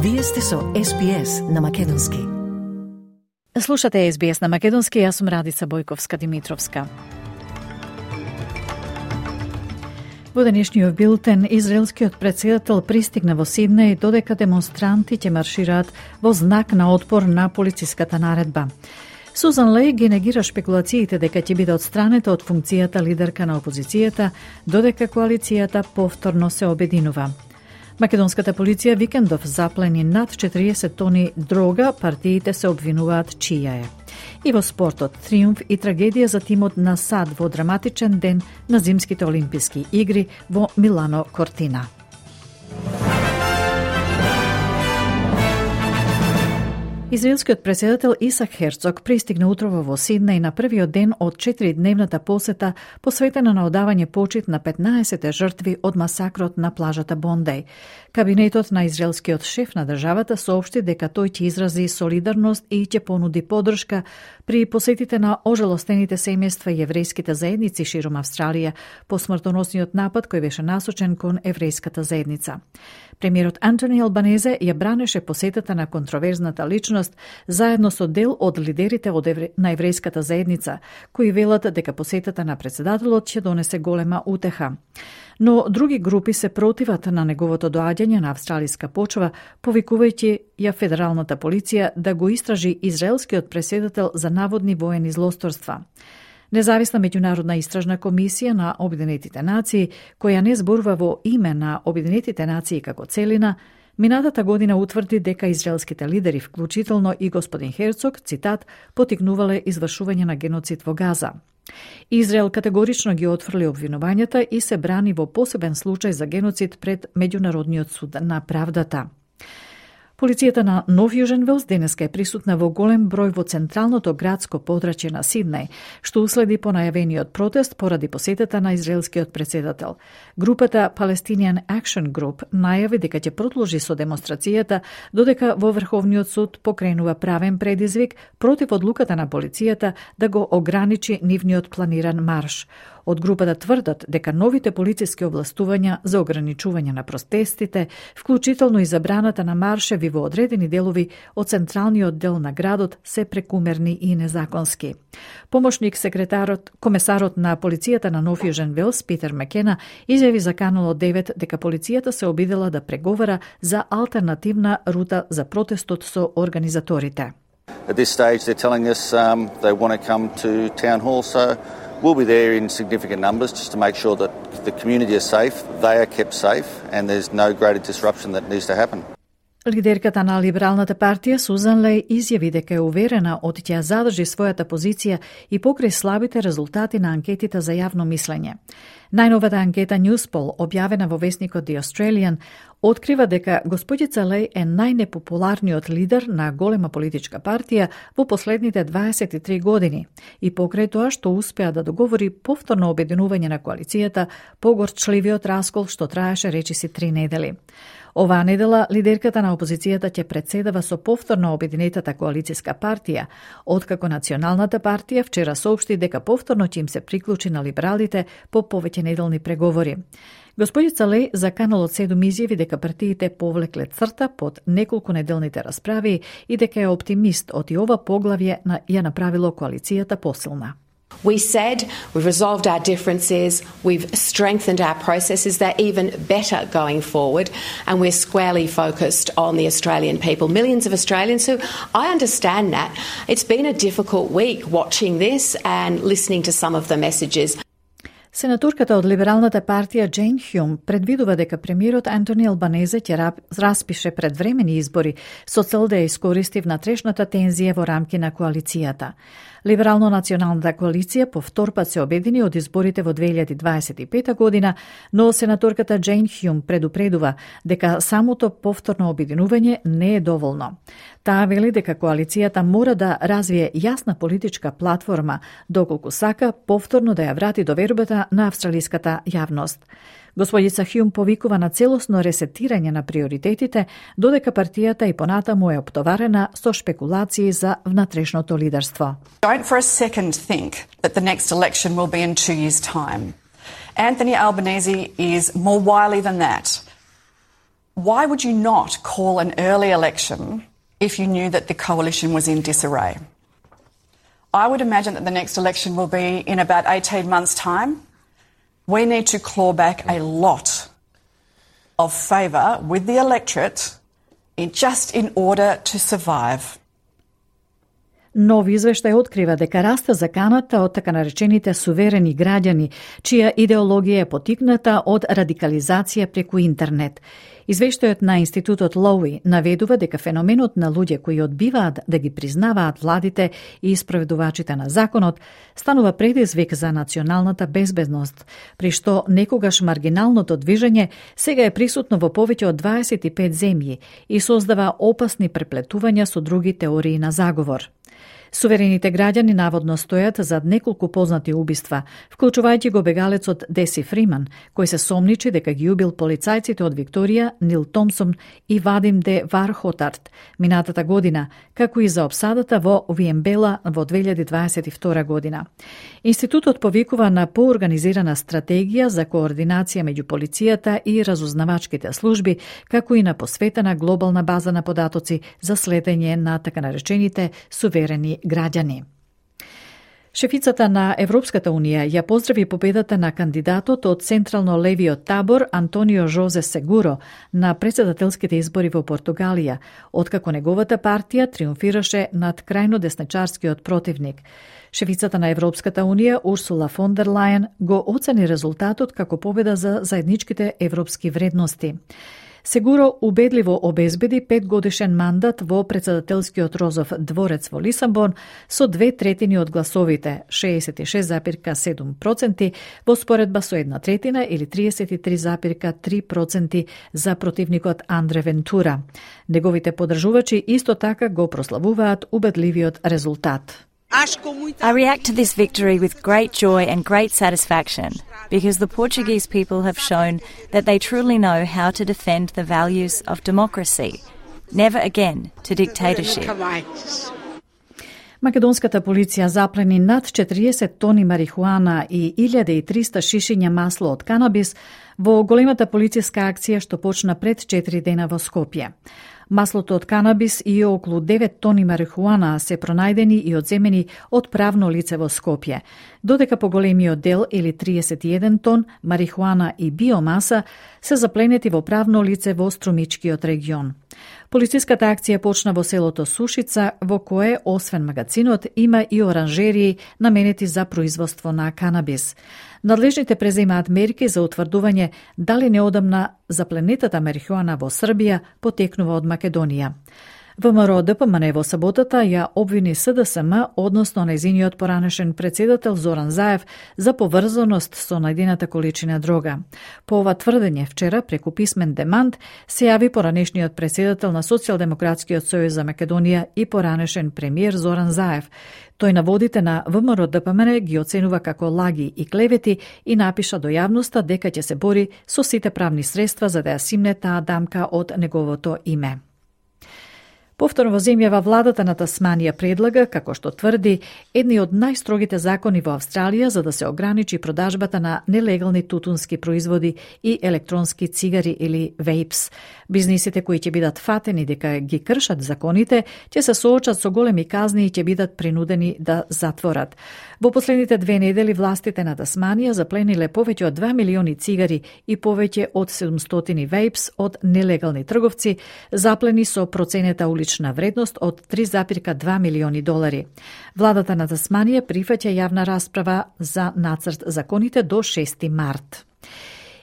Вие сте со SBS на Македонски. Слушате SBS на Македонски, јас сум Радица Бојковска-Димитровска. Во денешниот билтен, израелскиот претседател пристигна во Сиднеј додека демонстранти ќе маршираат во знак на отпор на полициската наредба. Сузан Леј ги негира шпекулациите дека ќе биде отстранета од функцијата лидерка на опозицијата, додека коалицијата повторно се обединува. Македонската полиција викендов заплени над 40 тони дрога, партиите се обвинуваат чија е. И во спортот, триумф и трагедија за тимот на САД во драматичен ден на Зимските олимписки игри во Милано Кортина. Израелскиот претседател Исак Херцог пристигна утрово во Сиднеј на првиот ден од 4-дневната посета посветена на одавање почит на 15 жртви од масакрот на плажата Бондеј. Кабинетот на израелскиот шеф на државата соопшти дека тој ќе изрази солидарност и ќе понуди поддршка при посетите на ожалостените семејства и еврејските заедници широм Австралија по смртоносниот напад кој беше насочен кон еврејската заедница. Премиерот Антони Албанезе ја бранеше посетата на контроверзната личност заедно со дел од лидерите на еврејската заедница, кои велат дека посетата на претседателот ќе донесе голема утеха. Но други групи се противат на неговото доаѓање на австралиска почва, повикувајќи ја федералната полиција да го истражи израелскиот претседател за наводни воени злосторства. Независна меѓународна истражна комисија на Обединетите нации, која не зборува во име на Обединетите нации како целина, минатата година утврди дека израелските лидери, вклучително и господин Херцог, цитат, потикнувале извршување на геноцид во Газа. Израел категорично ги отфрли обвинувањата и се брани во посебен случај за геноцид пред Меѓународниот суд на правдата. Полицијата на Нов Јужен Велс денеска е присутна во голем број во централното градско подрачје на Сиднеј, што уследи по најавениот протест поради посетата на израелскиот претседател. Групата Palestinian Action Group најави дека ќе продолжи со демонстрацијата додека во Врховниот суд покренува правен предизвик против одлуката на полицијата да го ограничи нивниот планиран марш. Од групата тврдат дека новите полициски областувања за ограничување на протестите, вклучително и забраната на маршеви во одредени делови од централниот дел на градот, се прекумерни и незаконски. Помошник комесарот на полицијата на Нов Јужен Велс, Питер Макена, изјави за Канал 9 дека полицијата се обидела да преговара за алтернативна рута за протестот со организаторите. At this stage they're telling us they want to come to town hall, so we'll be there in significant numbers just to make sure that the community is safe, they are kept safe, and there's no greater disruption that needs to happen. Лидерката на Либералната партија Сузан Леј изјави дека е уверена од ќе задржи својата позиција и покрај слабите резултати на анкетите за јавно мислење. Најновата анкета Newspoll, објавена во весникот The Australian, открива дека господица Леј е најнепопуларниот лидер на голема политичка партија во последните 23 години и покрај тоа што успеа да договори повторно обединување на коалицијата по горчливиот раскол што траеше речиси 3 недели. Оваа недела лидерката на опозицијата ќе претседава со повторно обединетата коалицијска партија, откако Националната партија вчера соопшти дека повторно ќе им се приклучи на либералите по повеќе неделни преговори. Господица Леј за Каналот 7 изјави дека партиите повлекле црта под неколку неделните расправи и дека е оптимист од и ова поглавје ја направило коалицијата посилна. We said we've resolved our differences, we've strengthened our processes, they're even better going forward, and we're squarely focused on the Australian people. Millions of Australians who, I understand that, it's been a difficult week watching this and listening to some of the messages. Сенаторката од Либералната партија Джейн Хјум предвидува дека премиерот Антони Албанезе ќе распише предвремени избори со цел да ја искористи внатрешната тензија во рамки на коалицијата. Либерално-националната коалиција по втор пат се обедини од изборите во 2025 година, но сенаторката Джейн Хјум предупредува дека самото повторно обединување не е доволно. Таа вели дека коалицијата мора да развие јасна политичка платформа, доколку сака повторно да ја врати довербата на австралиската јавност. Господица Хјум повикува на целосно ресетирање на приоритетите, додека партијата и понатаму е оптоварена со шпекулации за внатрешното лидерство. Don't for a second think that the next election will be in 2 years' time. Anthony Albanese is more wily than that. Why would you not call an early election if you knew that the coalition was in disarray? I would imagine that the next election will be in about 18 months' time. We need to claw back a lot of favour with the electorate just in order to survive. Нов извештај открива дека расте заканата од така наречените суверени граѓани, чија идеологија е потикната од радикализација преку интернет. Извештајот на Институтот Лоуи наведува дека феноменот на луѓе кои одбиваат да ги признаваат владите и испроведувачите на законот станува предизвик за националната безбедност, при што некогаш маргиналното движење сега е присутно во повеќе од 25 земји и создава опасни преплетувања со други теории на заговор. Суверените граѓани наводно стојат зад неколку познати убиства, вклучувајќи го бегалецот Деси Фриман, кој се сомничи дека ги убил полицајците од Викторија, Нил Томсон и Вадим де Вархотарт минатата година, како и за опсадата во Виембела во 2022 година. Институтот повикува на поорганизирана стратегија за координација меѓу полицијата и разузнавачките служби, како и на посветена глобална база на податоци за следење на така наречените суверени граѓани. Шефицата на Европската Унија ја поздрави победата на кандидатот од централно-левиот табор Антонио Жозе Сегуро на претседателските избори во Португалија, откако неговата партија триумфираше над крајно десничарскиот противник. Шефицата на Европската Унија Урсула фон дер Лајен го оцени резултатот како победа за заедничките европски вредности. Сегуро убедливо обезбеди 5-годишен мандат во претседателскиот Розов дворец во Лисабон со 2/3 од гласовите, 66,7%, во споредба со 1/3 или 33,3% за противникот Андре Вентура. Неговите поддржувачи исто така го прославуваат убедливиот резултат. I react to this victory with great joy and great satisfaction because the Portuguese people have shown that they truly know how to defend the values of democracy. Never again to dictatorship. Македонската полиција заплени над 40 тони марихуана и 1300 шишиња масло од канабис во големата полициска акција што почна пред 4 дена во Скопје. Маслото од канабис и околу 9 тони марихуана се пронајдени и одземени од правно лице во Скопје, додека поголемиот дел или 31 тон марихуана и биомаса се запленети во правно лице во Струмичкиот регион. Полициската акција почна во селото Сушица, во кое, освен магазинот, има и оранжерии наменети за производство на канабис. Надлежните преземаат мерки за утврдување дали неодамна запленетата марихуана во Србија потекнува од Македонија. ВМРО ДПМН во саботата ја обвини СДСМ, односно нејзиниот поранешен председател Зоран Заев, за поврзаност со најдената количина дрога. По ова тврдење вчера, преку писмен демант, се јави поранешниот председател на Социјалдемократскиот сојуз за Македонија и поранешен премиер Зоран Заев. Тој наводите на ВМРО ДПМН ги оценува како лаги и клевети и напиша до јавноста дека ќе се бори со сите правни средства за да ја симне таа дамка од неговото име. Повторно во земјава владата на Тасманија предлага, како што тврди, едни од најстрогите закони во Австралија за да се ограничи продажбата на нелегални тутунски производи и електронски цигари или вейпс. Бизнисите кои ќе бидат фатени дека ги кршат законите, ќе се соочат со големи казни и ќе бидат принудени да затворат. Во последните 2 недели властите на Тасманија заплениле повеќе од 2 милиони цигари и повеќе од 700 вейпс од нелегални трговци, заплени со проценета улична вредност од 3,2 милиони долари. Владата на Тасманија прифаќа јавна расправа за нацрт законите до 6 март.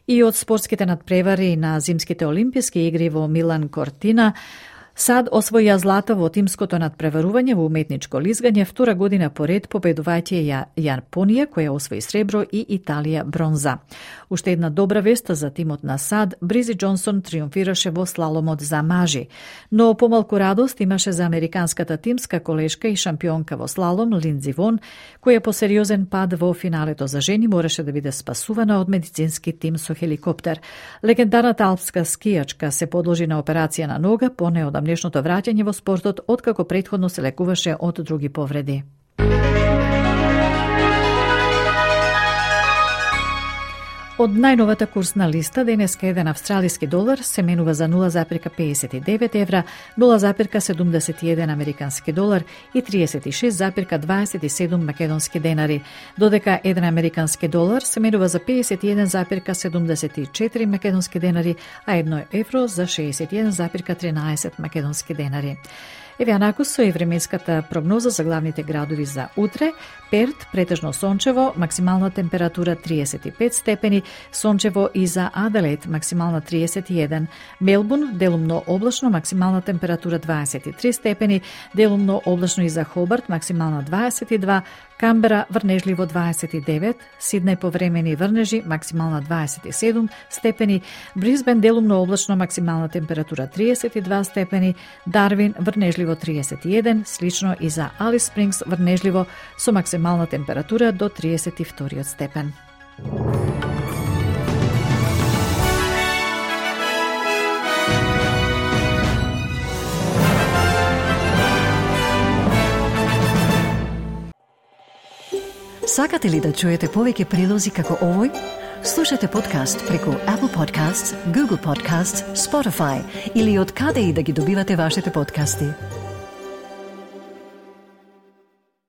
И од спортските надпревари на зимските олимписки игри во Милан Кортина, САД освоја злато во тимското надпреварување во уметничко лизгање втора година поред, победувајќи Јапонија, која освои сребро, и Италија бронза. Уште една добра вест за тимот на САД, Бризи Џонсон триумфираше во слаломот за мажи. Но помалку радост имаше за американската тимска колешка и шампионка во слалом Линдзи Вон, која по сериозен пад во финалето за жени мораше да биде спасувана од медицински тим со хеликоптер. Легендарната алпска скијачка се подложи на операција на нога по неодамнешното враќање во спортот, откако претходно се лекуваше од други повреди. Од најновата курсна листа, денеска еден австралиски долар се менува за 0,59 евра, 0,71 американски долар и 36,27 македонски денари, додека еден американски долар се менува за 51,74 македонски денари, а 1 евро за 61,13 македонски денари. Еве анаку со и временската прогноза за главните градови за утре. Перт претежно сончево, максимална температура 35 степени, сончево и за Аделаид максимална 31. Мелбурн делумно облачно, максимална температура 23 степени, делумно облачно и за Хобарт максимална 22, Камбера врнежливо 29, Сиднеј повремени врнежи максимална 27 степени, Брисбен делумно облачно, максимална температура 32 степени, Дарвин врнежливо 31, слично и за Алис Спрингс врнежливо со максимална температура до 32 степен. Сакате ли да чуете повеќе прилози како овој? Слушате подкаст преку Apple Podcasts, Google Podcasts, Spotify или од каде и да ги добивате вашите подкасти.